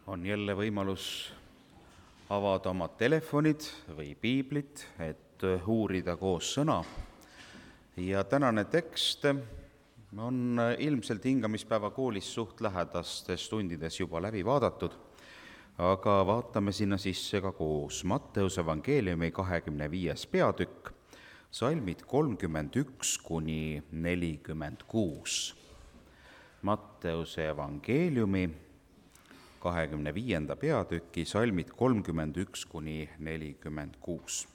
On jälle võimalus avada oma telefonid või piiblit, et uurida koos sõna. Ja tänane tekst on ilmselt hingamispäeva koolis suht lähedastes tundides juba läbi vaadatud, aga vaatame sinna sisse ka koos. Matteuse evangeeliumi 25. peatükk, salmid 31–46. Matteuse evangeeliumi 25. peatüki salmid 31–46.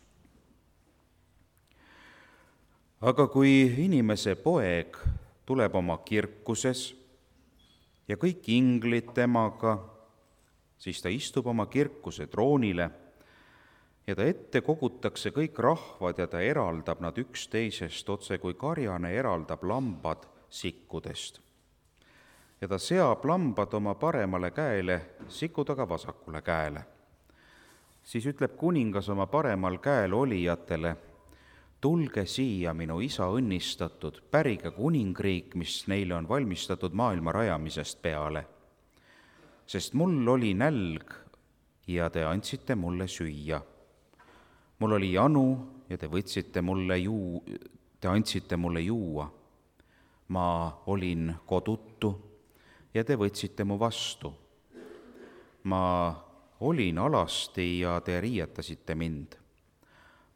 Aga kui inimese poeg tuleb oma kirkuses ja kõik inglid temaga, siis ta istub oma kirkuse troonile ja ta ette kogutakse kõik rahvad ja ta eraldab nad üksteisest, otse kui karjane eraldab lambad sikkudest. Ja ta seab lambad oma paremale käele, sikud aga vasakule käele. Siis ütleb kuningas oma paremal käel olijatele: tulge siia, minu isa õnnistatud, pärige kuningriik, mis neile on valmistatud maailma rajamisest peale. Sest mul oli nälg ja te andsite mulle süüa. Mul oli janu ja te andsite mulle juua. Ma olin kodutu ja te võtsite mu vastu. Ma olin alasti ja te riietasite mind.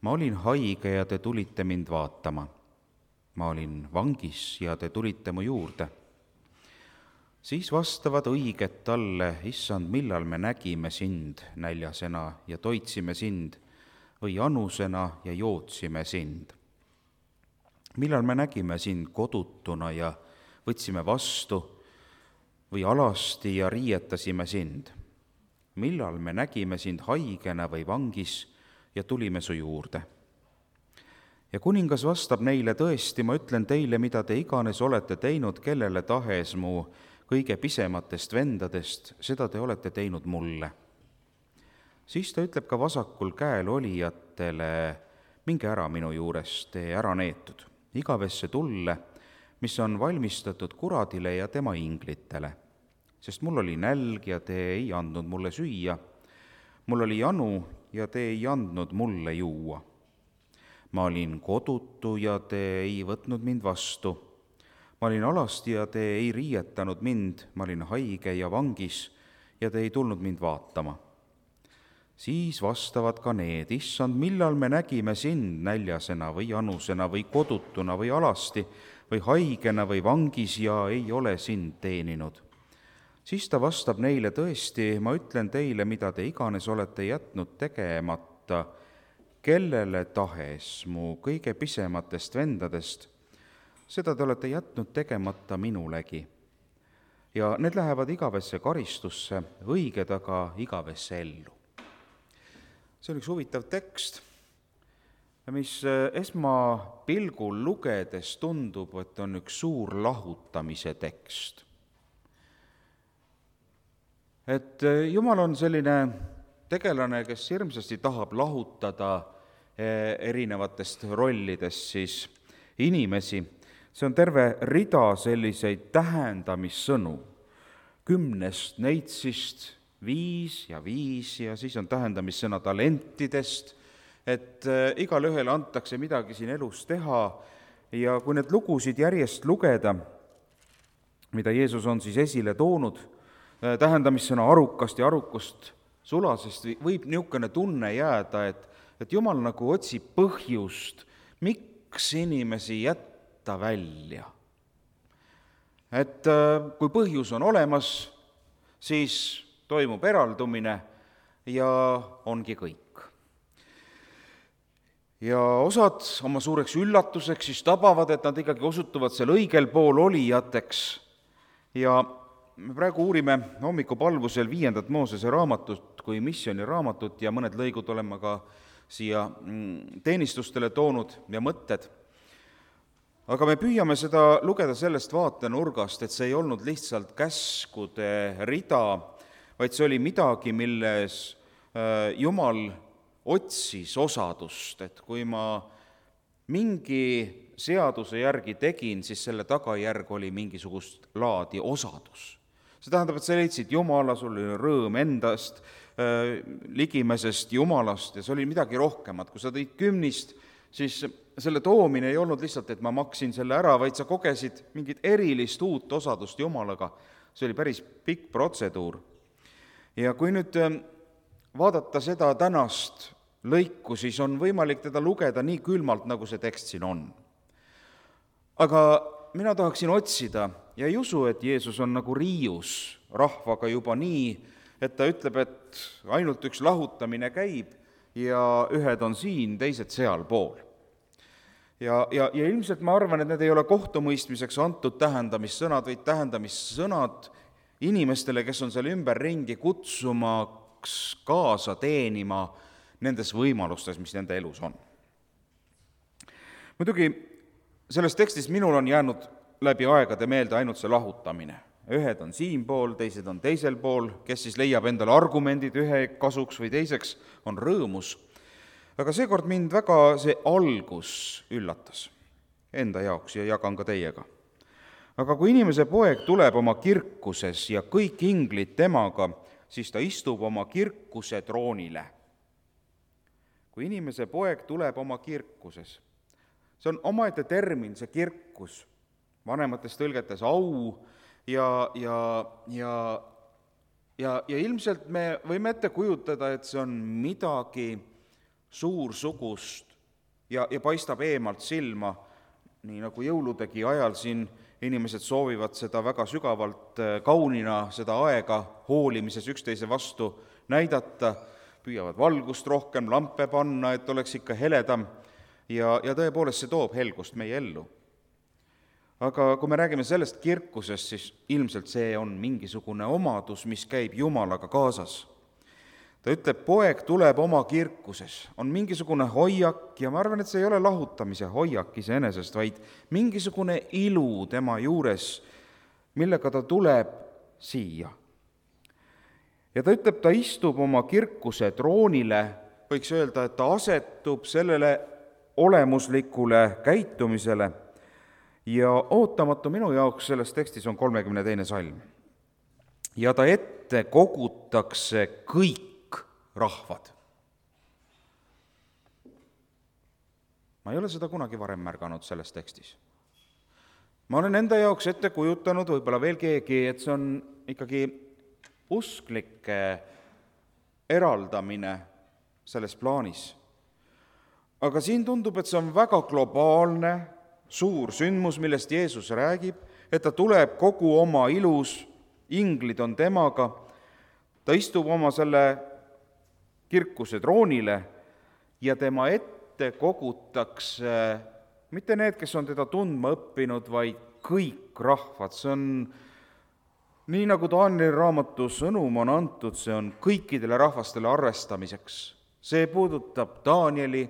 Ma olin haige ja te tulite mind vaatama. Ma olin vangis ja te tulite mu juurde. Siis vastavad õiged talle: issand, millal me nägime sind näljasena ja toitsime sind või janusena ja jootsime sind? Millal me nägime sind kodutuna ja võtsime vastu või alasti ja riietasime sind? Millal me nägime sind haigena või vangis ja tulime su juurde? Ja kuningas vastab neile: tõesti, ma ütlen teile, mida te iganes olete teinud kellele tahes mu kõige pisematest vendadest, seda te olete teinud mulle. Siis ta ütleb ka vasakul käel olijatele: minge ära minu juurest, te ära neetud, igavesse tulle, mis on valmistatud kuradile ja tema inglitele. Sest mul oli nälg ja te ei andnud mulle süüa, mul oli janu ja te ei andnud mulle juua. Ma olin kodutu ja te ei võtnud mind vastu. Ma olin alasti ja te ei riietanud mind, ma olin haige ja vangis ja te ei tulnud mind vaatama. Siis vastavad ka need: issand, millal me nägime sind näljasena või janusena või kodutuna või alasti või haigena või vangis ja ei ole sind teeninud? Siis ta vastab neile: tõesti, ma ütlen teile, mida te iganes olete jätnud tegemata kellele tahes mu kõige pisematest vendadest, seda te olete jätnud tegemata minulegi. Ja need lähevad igavesse karistusse, õiged aga igavesse ellu. See on üks huvitav tekst, mis esmapilgul lugedes tundub, et on üks suur lahutamise tekst. Et Jumal on selline tegelane, kes hirmsasti tahab lahutada erinevatest rollidest siis inimesi. See on terve rida selliseid tähendamissõnu. 10 neitsist 5 ja siis on tähendamissõna talentidest, et igal ühele antakse midagi siin elus teha. Ja kui need lugusid järjest lugeda, mida Jeesus on siis esile toonud, tähendamissõna arukast ja arukust sulasest, võib niisugune tunne jääda, et Jumal nagu otsib põhjust, miks inimesi jätta välja. Et kui põhjus on olemas, siis toimub eraldumine ja ongi kõik. Ja osad oma suureks üllatuseks siis tabavad, et nad ikkagi osutuvad seal õigel pool olijateks. Ja me praegu uurime hommikupalvusel 5. Moosese raamatut kui missioniraamatut ja mõned lõigud oleme ka siia teenistustele toonud ja mõtted. Aga me püüame seda lugeda sellest vaatenurgast, et see ei olnud lihtsalt käskude rida, vaid see oli midagi, milles Jumal otsis osadust, et kui ma mingi seaduse järgi tegin, siis selle tagajärg oli mingisugust laadi osadus. See tähendab, et sa leidsid Jumala, sul oli rõõm endast, ligimesest Jumalast ja see oli midagi rohkemat. Kui sa tõid kümnist, siis selle toomine ei olnud lihtsalt, et ma maksin selle ära, vaid sa kogesid mingit erilist uut osadust Jumalaga. See oli päris pikk protseduur. Ja kui nüüd vaadata seda tänast lõiku, siis on võimalik teda lugeda nii külmalt, nagu see tekst siin on. Aga mina tahaksin otsida ja ei usu, et Jeesus on nagu riius rahvaga juba nii, et ta ütleb, et ainult üks lahutamine käib ja ühed on siin, teised sealpool. Ja ilmselt ma arvan, et need ei ole kohtumõistmiseks antud tähendamissõnad, vaid tähendamissõnad inimestele, kes on seal ümberringi kutsumaks kaasa teenima nendes võimalustes, mis nende elus on. Muidugi selles tekstis minul on jäänud läbi aegade meelde ainult see lahutamine. Ühed on siinpool, teised on teisel pool, kes siis leiab endale argumendid ühe kasuks või teiseks, on rõõmus. Aga seekord mind väga see algus üllatas enda jaoks ja jagan ka teiega. Aga kui inimese poeg tuleb oma kirkuses ja kõik inglid temaga, siis ta istub oma kirkuse troonile. Kui inimese poeg tuleb oma kirkuses, see on omaette termin, see kirkus, vanemates tõlgetes au, ja ilmselt me võime ette kujutada, et see on midagi suursugust ja paistab eemalt silma, nii nagu jõuludegi ajal siin inimesed soovivad seda väga sügavalt kaunina, seda aega hoolimises üksteise vastu näidata, püüavad valgust rohkem, lampe panna, et oleks ikka heledam ja tõepoolest see toob helgust meie ellu. Aga kui me räägime sellest kirkusest, siis ilmselt see on mingisugune omadus, mis käib Jumalaga kaasas. Ta ütleb, poeg tuleb oma kirkuses, on mingisugune hoiak ja ma arvan, et see ei ole lahutamise hoiak iseenesest, vaid mingisugune ilu tema juures, millega ta tuleb siia. Ja ta ütleb, ta istub oma kirkuse troonile, võiks öelda, et ta asetub sellele olemuslikule käitumisele. Ja ootamatu minu jaoks selles tekstis on 32. salm. Ja ta ette kogutakse kõik rahvad. Ma ei ole seda kunagi varem märganud selles tekstis. Ma olen enda jaoks ette kujutanud, võib-olla veel keegi, et see on ikkagi usklike eraldamine selles plaanis. Aga siin tundub, et see on väga globaalne, suur sündmus, millest Jeesus räägib, et ta tuleb kogu oma ilus, inglid on temaga, ta istub oma selle kirkuse troonile ja tema ette kogutakse mitte need, kes on teda tundma õppinud, vaid kõik rahvad. See on nii, nagu Danieli raamatu sõnum on antud, see on kõikidele rahvastele arvestamiseks. See puudutab Danieli,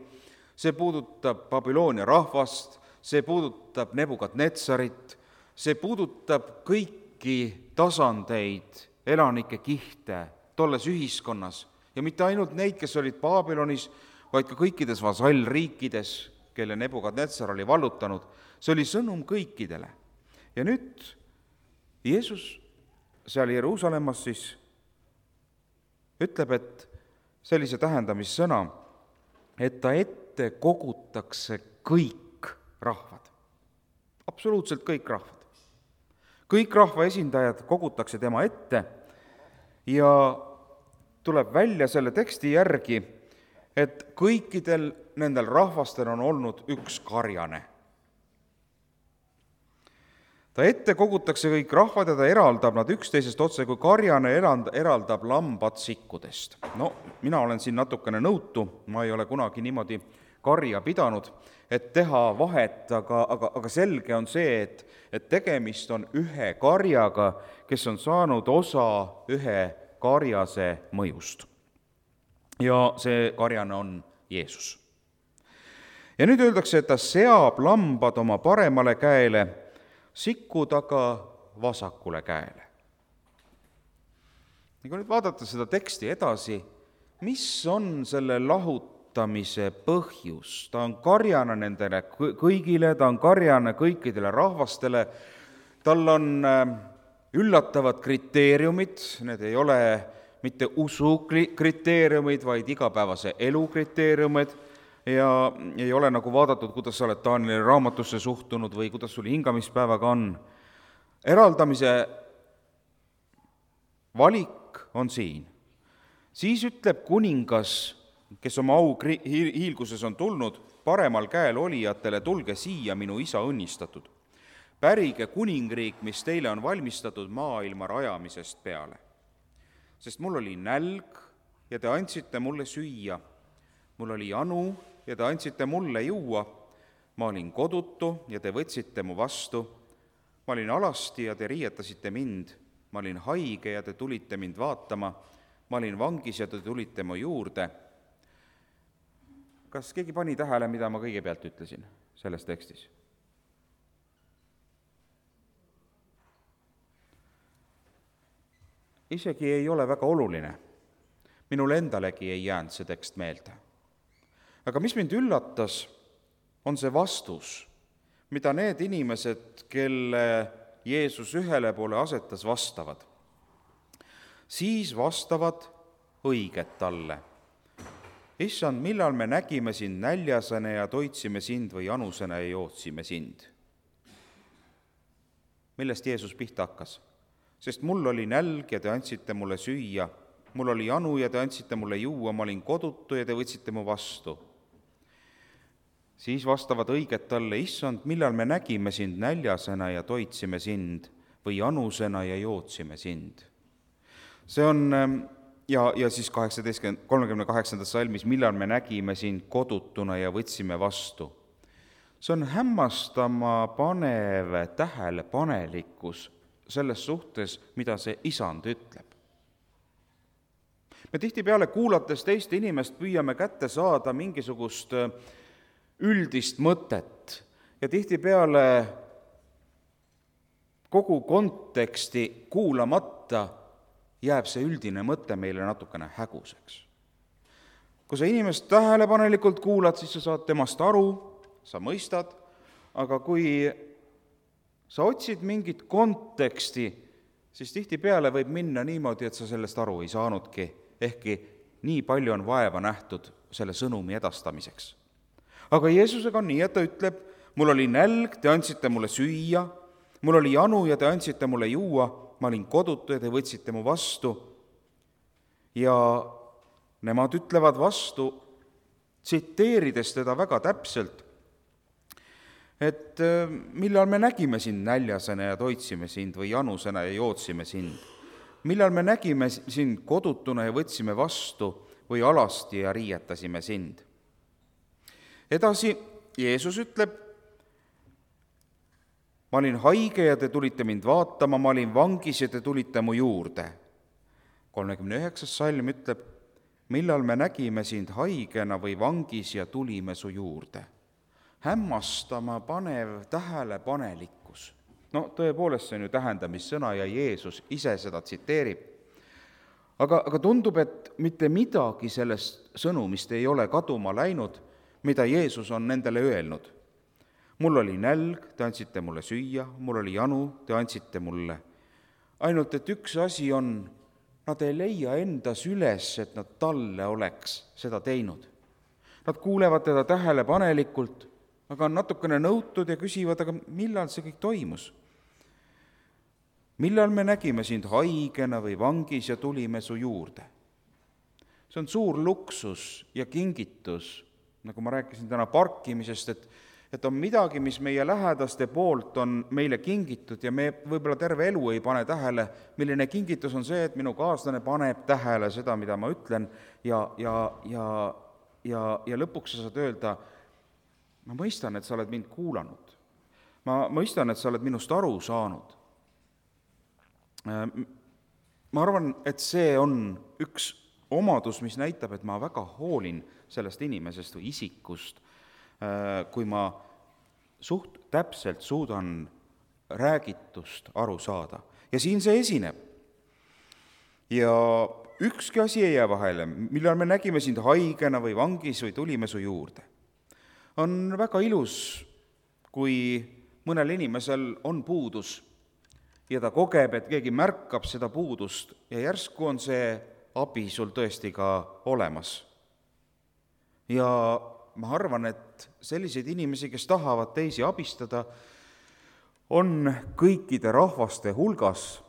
see puudutab Babyloonia rahvast, see puudutab Nebukadnetsarit, see puudutab kõiki tasandeid, elanike kihte tolles ühiskonnas ja mitte ainult neid, kes olid Babylonis, vaid ka kõikides vasallriikides, kelle Nebukadnetsar oli vallutanud. See oli sõnum kõikidele. Ja nüüd Jeesus seal Jeruusalemmas siis ütleb, et sellise tähendamissõna, et ta ette kogutakse kõik rahvad. Absoluutselt kõik rahvad. Kõik rahva esindajad kogutakse tema ette ja tuleb välja selle teksti järgi, et kõikidel nendel rahvastel on olnud üks karjane. Ta ette kogutakse kõik rahvad ja ta eraldab nad üksteisest otse, kui karjane eraldab lambad sikkudest. No, mina olen siin natukene nõutu, ma ei ole kunagi niimoodi karja pidanud, et teha vahet, aga selge on see, et tegemist on ühe karjaga, kes on saanud osa ühe karjase mõjust. Ja see karjane on Jeesus. Ja nüüd öeldakse, et ta seab lambad oma paremale käele, sikud aga vasakule käele. Ja kui nüüd vaadata seda teksti edasi, mis on selle lahutamise põhjus? Ta on karjane nendele kõigile, ta on karjane kõikidele rahvastele, tal on üllatavad kriteeriumid, need ei ole mitte usu kriteeriumid, vaid igapäevase elu kriteeriumid ja ei ole nagu vaadatud, kuidas sa oled Taanieli raamatusse suhtunud või kuidas sul hingamispäevaga on. Eraldamise valik on siin. Siis ütleb kuningas, kes oma au hiilguses on tulnud, paremal käel olijatele, tulge siia, minu isa õnnistatud. Pärige kuningriik, mis teile on valmistatud maailma rajamisest peale. Sest mul oli nälg ja te andsite mulle süüa, mul oli janu ja te andsite mulle juua, ma olin kodutu ja te võtsite mu vastu, ma olin alasti ja te riietasite mind, ma olin haige ja te tulite mind vaatama, ma olin vangis ja te tulite mu juurde. Kas keegi pani tähele, mida ma kõigepealt ütlesin selles tekstis? Isegi ei ole väga oluline. Minule endalegi ei jäänud see tekst meelde. Aga mis mind üllatas, on see vastus, mida need inimesed, kelle Jeesus ühele poole asetas, vastavad. Siis vastavad õiget talle. Issand, millal me nägime sind näljasena ja toitsime sind või janusena ja jootsime sind? Millest Jeesus pihta hakkas? Sest mul oli nälg ja te andsite mulle süüa, mul oli janu ja te andsite mulle juua, ma olin kodutu ja te võtsite mu vastu. Siis vastavad õiget talle, issand, millal me nägime sind näljasena ja toitsime sind või janusena ja jootsime sind. See on, ja siis 38. salmis, millal me nägime sind kodutuna ja võtsime vastu. See on hämmastama panev tähelepanelikkus selles suhtes, mida see isand ütleb. Me tihtipeale kuulates teiste inimest püüame kätte saada mingisugust üldist mõtet ja tihtipeale kogu konteksti kuulamata jääb see üldine mõte meile natukene häguseks. Kui sa inimest tähelepanelikult kuulad, siis sa saad temast aru, sa mõistad, aga kui sa otsid mingit konteksti, siis tihtipeale võib minna niimoodi, et sa sellest aru ei saanudki, ehkki nii palju on vaeva nähtud selle sõnumi edastamiseks. Aga Jeesusega on nii, et ta ütleb, mul oli nälg, te andsite mulle süüa, mul oli janu ja te andsite mulle juua, ma olin kodutu ja te võtsite mu vastu. Ja nemad ütlevad vastu, tsiteerides teda väga täpselt, et millal me nägime sind näljasena ja toitsime sind või janusena ja jootsime sind? Millal me nägime sind kodutuna ja võtsime vastu või alasti ja riietasime sind? Edasi Jeesus ütleb, ma olin haige ja te tulite mind vaatama, ma olin vangis ja te tulite mu juurde. 39. salm ütleb, millal me nägime sind haigena või vangis ja tulime su juurde. Hämmastama panev tähelepanelikkus. No tõepoolest, see on ju tähendamissõna ja Jeesus ise seda tsiteerib. Aga tundub, et mitte midagi sellest sõnumist ei ole kaduma läinud, mida Jeesus on nendele öelnud. Mul oli nälg, te andsite mulle süüa, mul oli janu, te andsite mulle. Ainult, et üks asi on, nad ei leia endas üles, et nad talle oleks seda teinud. Nad kuulevad teda tähelepanelikult, aga on natukene nõutud ja küsivad, aga millal see kõik toimus? Millal me nägime sind haigena või vangis ja tulime su juurde? See on suur luksus ja kingitus, nagu ma rääkisin täna parkimisest, et on midagi, mis meie lähedaste poolt on meile kingitud ja me võib-olla terve elu ei pane tähele, milline kingitus on see, et minu kaaslane paneb tähele seda, mida ma ütlen ja lõpuks sa saad öelda, ma mõistan, et sa oled mind kuulanud. Ma mõistan, et sa oled minust aru saanud. Ma arvan, et see on üks omadus, mis näitab, et ma väga hoolin sellest inimesest või isikust, kui ma suht täpselt suudan räägitust aru saada. Ja siin see esineb. Ja ükski asi ei jää vahele, millal me nägime sind haigena või vangis või tulime su juurde. On väga ilus, kui mõnel inimesel on puudus ja ta kogeb, et keegi märkab seda puudust ja järsku on see abi sul tõesti ka olemas. Ja ma arvan, et selliseid inimesi, kes tahavad teisi abistada, on kõikide rahvaste hulgas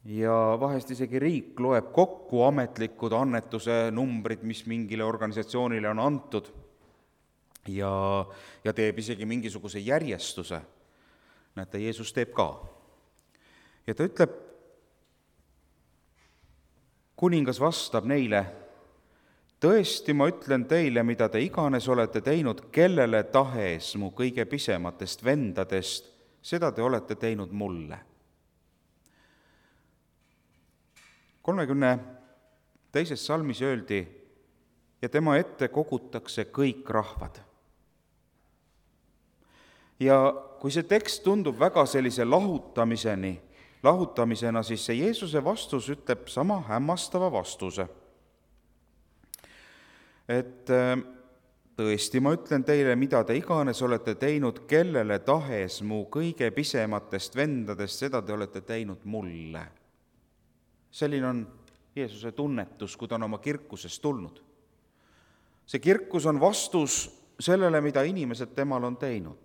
ja vahest isegi riik loeb kokku ametlikud annetuse numbrid, mis mingile organisatsioonile on antud ja teeb isegi mingisuguse järjestuse. Näete, Jeesus teeb ka. Ja ta ütleb, kuningas vastab neile, tõesti, ma ütlen teile, mida te iganes olete teinud kellele tahes mu kõige pisematest vendadest, seda te olete teinud mulle. 32. salmis öeldi, ja tema ette kogutakse kõik rahvad. Ja kui see tekst tundub väga sellise lahutamisena, siis see Jeesuse vastus ütleb sama hämmastava vastuse. Et tõesti, ma ütlen teile, mida te iganes olete teinud kellele tahes mu kõige pisematest vendadest, seda te olete teinud mulle. Selline on Jeesuse tunnetus, kui ta on oma kirkusest tulnud. See kirkus on vastus sellele, mida inimesed temal on teinud.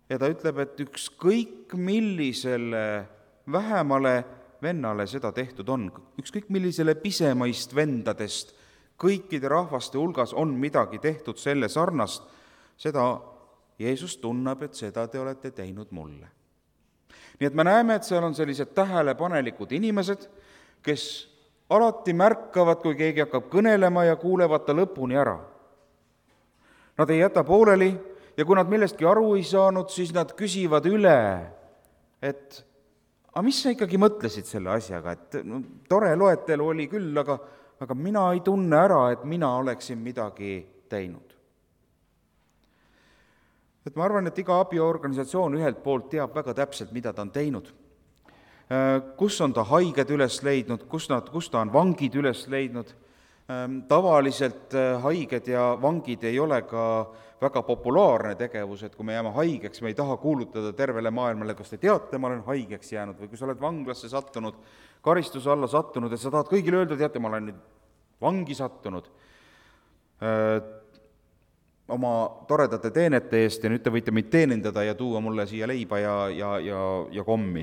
Ja ta ütleb, et ükskõik millisele vähemale vennale seda tehtud on, ükskõik millisele pisemaist vendadest, kõikide rahvaste hulgas on midagi tehtud selle sarnast, seda Jeesus tunneb, et seda te olete teinud mulle. Nii et me näeme, et seal on sellised tähelepanelikud inimesed, kes alati märkavad, kui keegi hakkab kõnelema ja kuulevad ta lõpuni ära. Nad ei jäta pooleli ja kui nad millestki aru ei saanud, siis nad küsivad üle, et aga mis sa ikkagi mõtlesid selle asjaga, et no, tore loetelu oli küll, aga mina ei tunne ära, et mina oleksin midagi teinud. Et ma arvan, et iga abiorganisatsioon ühelt poolt teab väga täpselt, mida ta on teinud. Kus on ta haiged üles leidnud, kus ta on vangid üles leidnud. Tavaliselt haiged ja vangid ei ole ka väga populaarne tegevus, et kui me jääme haigeks, me ei taha kuulutada tervele maailmale, kas te teate, ma olen haigeks jäänud, või kui sa oled vanglasse sattunud, karistuse alla sattunud, et sa tahad kõigile öelda, teate, ma olen nüüd vangi sattunud oma toredate teenete eest ja nüüd te võite mind teenindada ja tuua mulle siia leiba ja kommi.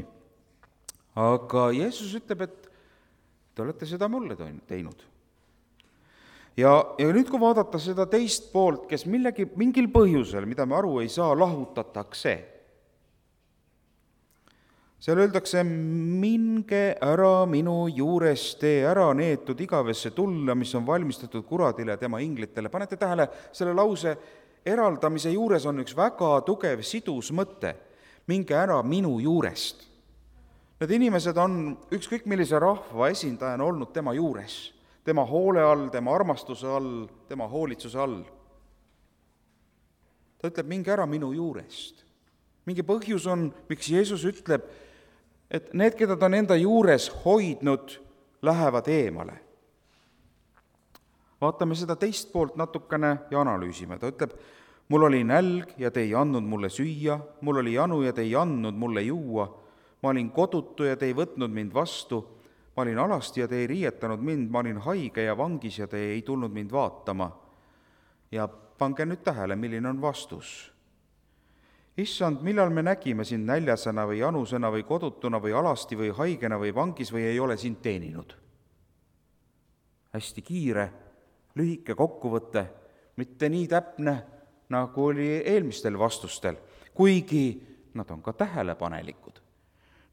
Aga Jeesus ütleb, et te olete seda mulle teinud. Ja nüüd, kui vaadata seda teist poolt, kes mingil põhjusel, mida me aru ei saa, lahutatakse, seal öeldakse, minge ära minu juurest, tee ära neetud igavesse tulla, mis on valmistatud kuradile ja tema inglitele. Panete tähele, selle lause eraldamise juures on üks väga tugev sidus mõte. Minge ära minu juurest. Need inimesed on ükskõik millise rahva esindajana olnud tema juures, tema hoole all, tema armastuse all, tema hoolitsuse all. Ta ütleb, minge ära minu juurest. Mingi põhjus on, miks Jeesus ütleb, et need, keda ta on enda juures hoidnud, lähevad eemale. Vaatame seda teist poolt natukene ja analüüsime. Ta ütleb, mul oli nälg ja te ei andnud mulle süüa, mul oli janu ja te ei andnud mulle juua, ma olin kodutu ja te ei võtnud mind vastu, ma olin alasti ja te ei riietanud mind, ma olin haige ja vangis ja te ei tulnud mind vaatama. Ja pange nüüd tähele, milline on vastus. Issand, millal me nägime sind näljasena või janusena või kodutuna või alasti või haigena või vangis või ei ole sind teeninud? Hästi kiire, lühike kokkuvõte, mitte nii täpne, nagu oli eelmistel vastustel, kuigi nad on ka tähelepanelikud.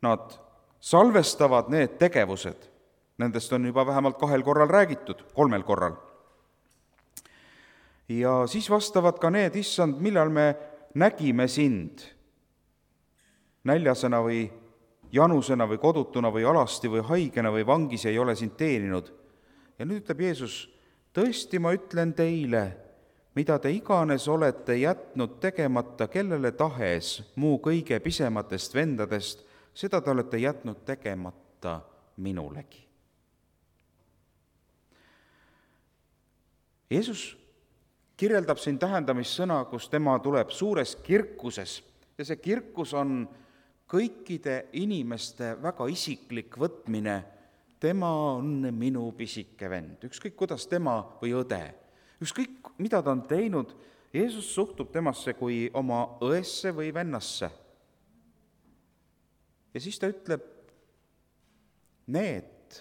Nad salvestavad need tegevused, nendest on juba vähemalt 2 korral räägitud, 3 korral. Ja siis vastavad ka need, issand, millal me nägime sind näljasena või janusena või kodutuna või alasti või haigena või vangis ei ole sind teeninud. Ja nüüd ütleb Jeesus, tõesti ma ütlen teile, mida te iganes olete jätnud tegemata kellele tahes muu kõige pisematest vendadest, seda te olete jätnud tegemata minulegi. Jeesus kirjeldab siin tähendamissõna, kus tema tuleb suures kirkuses ja see kirkus on kõikide inimeste väga isiklik võtmine, tema on minu pisike vend, ükskõik kuidas tema või õde, ükskõik mida ta on teinud, Jeesus suhtub temasse kui oma õesse või vennasse. Ja siis ta ütleb, need,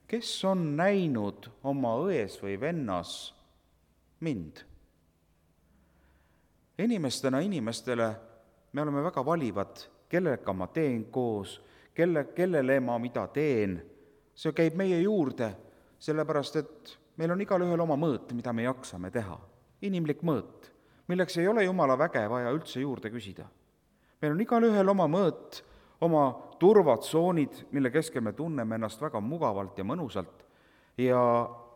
kes on näinud oma ões või vennas mind. Inimestele me oleme väga valivad, kellega ma teen koos, kellele ma mida teen. See käib meie juurde, sellepärast et meil on igalühel oma mõõt, mida me jaksame teha. Inimlik mõõt, milleks ei ole Jumala väge vaja üldse juurde küsida. Meil on igalühel oma mõõt, oma turvatsoonid, mille keskel me tunneme ennast väga mugavalt ja mõnusalt. Ja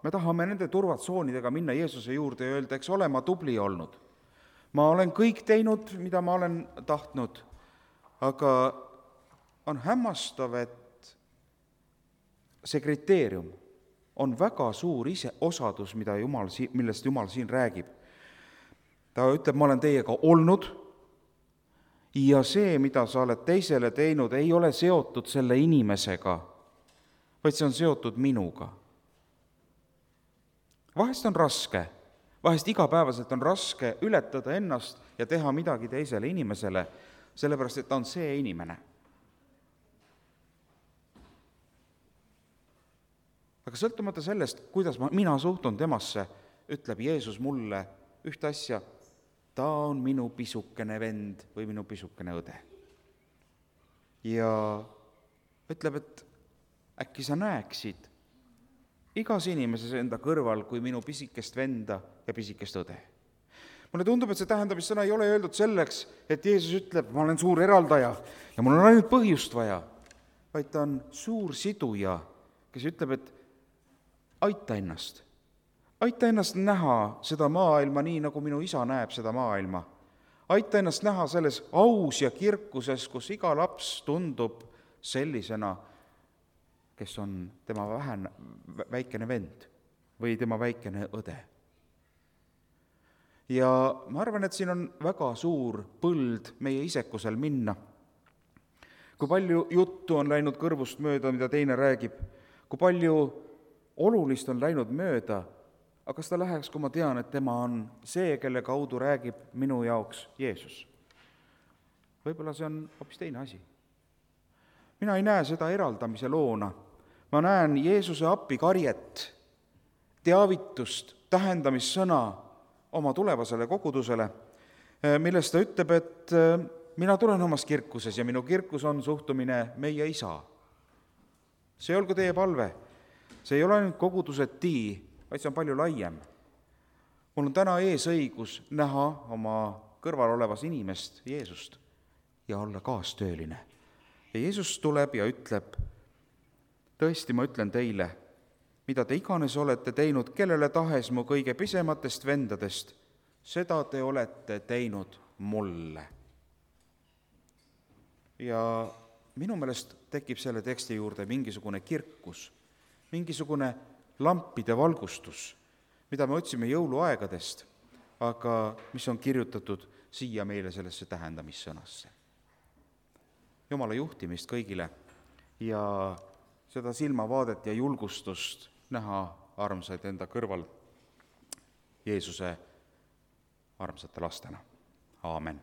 me tahame nende turvatsoonidega minna Jeesuse juurde ja öelda, eks ole, ma tubli olnud. Ma olen kõik teinud, mida ma olen tahtnud, aga on hämmastav, et see kriteerium on väga suur osadus, millest Jumal siin räägib. Ta ütleb, ma olen teiega olnud ja see, mida sa oled teisele teinud, ei ole seotud selle inimesega, vaid see on seotud minuga. Vahest on raske, vahest igapäevaselt on raske ületada ennast ja teha midagi teisele inimesele, sellepärast et ta on see inimene. Aga sõltumata sellest, kuidas mina suhtun temasse, ütleb Jeesus mulle ühte asja, ta on minu pisukene vend või minu pisukene õde. Ja ütleb, et äkki sa näeksid igas inimeses enda kõrval kui minu pisikest venda ja pisikest õde. Mulle tundub, et see tähendamissõna ei ole öeldud selleks, et Jeesus ütleb, ma olen suur eraldaja ja mul on ainult põhjust vaja, vaid ta on suur siduja, kes ütleb, et aita ennast näha seda maailma nii, nagu minu isa näeb seda maailma. Aita ennast näha selles aus ja kirkuses, kus iga laps tundub sellisena, kes on tema väikene vend või tema väikene õde. Ja ma arvan, et siin on väga suur põld meie isekusel minna. Kui palju juttu on läinud kõrvust mööda, mida teine räägib, kui palju olulist on läinud mööda, aga kas ta läheks, kui ma tean, et tema on see, kelle kaudu räägib minu jaoks Jeesus? Võib-olla see on hoopis teine asi. Mina ei näe seda eraldamise loona. Ma näen Jeesuse appikarjet, teavitust, tähendamissõna oma tulevasele kogudusele, millest ta ütleb, et mina tulen omas kirkuses ja minu kirkus on suhtumine meie isa. See olgu teie palve. See ei ole ainult koguduse tii, vaid see on palju laiem. Mul on täna õigus näha oma kõrval olevas inimest, Jeesust, ja olla kaastööline. Ja Jeesus tuleb ja ütleb, tõesti, ma ütlen teile, mida te iganes olete teinud, kellele tahes mu kõige pisematest vendadest, seda te olete teinud mulle. Ja minu meelest tekib selle teksti juurde mingisugune kirkus, mingisugune lampide valgustus, mida me otsime jõuluaegadest, aga mis on kirjutatud siia meile sellesse tähendamissõnasse. Jumala juhtimist kõigile ja seda silmavaadet ja julgustust näha armsaid enda kõrval Jeesuse armsate lastena. Aamen.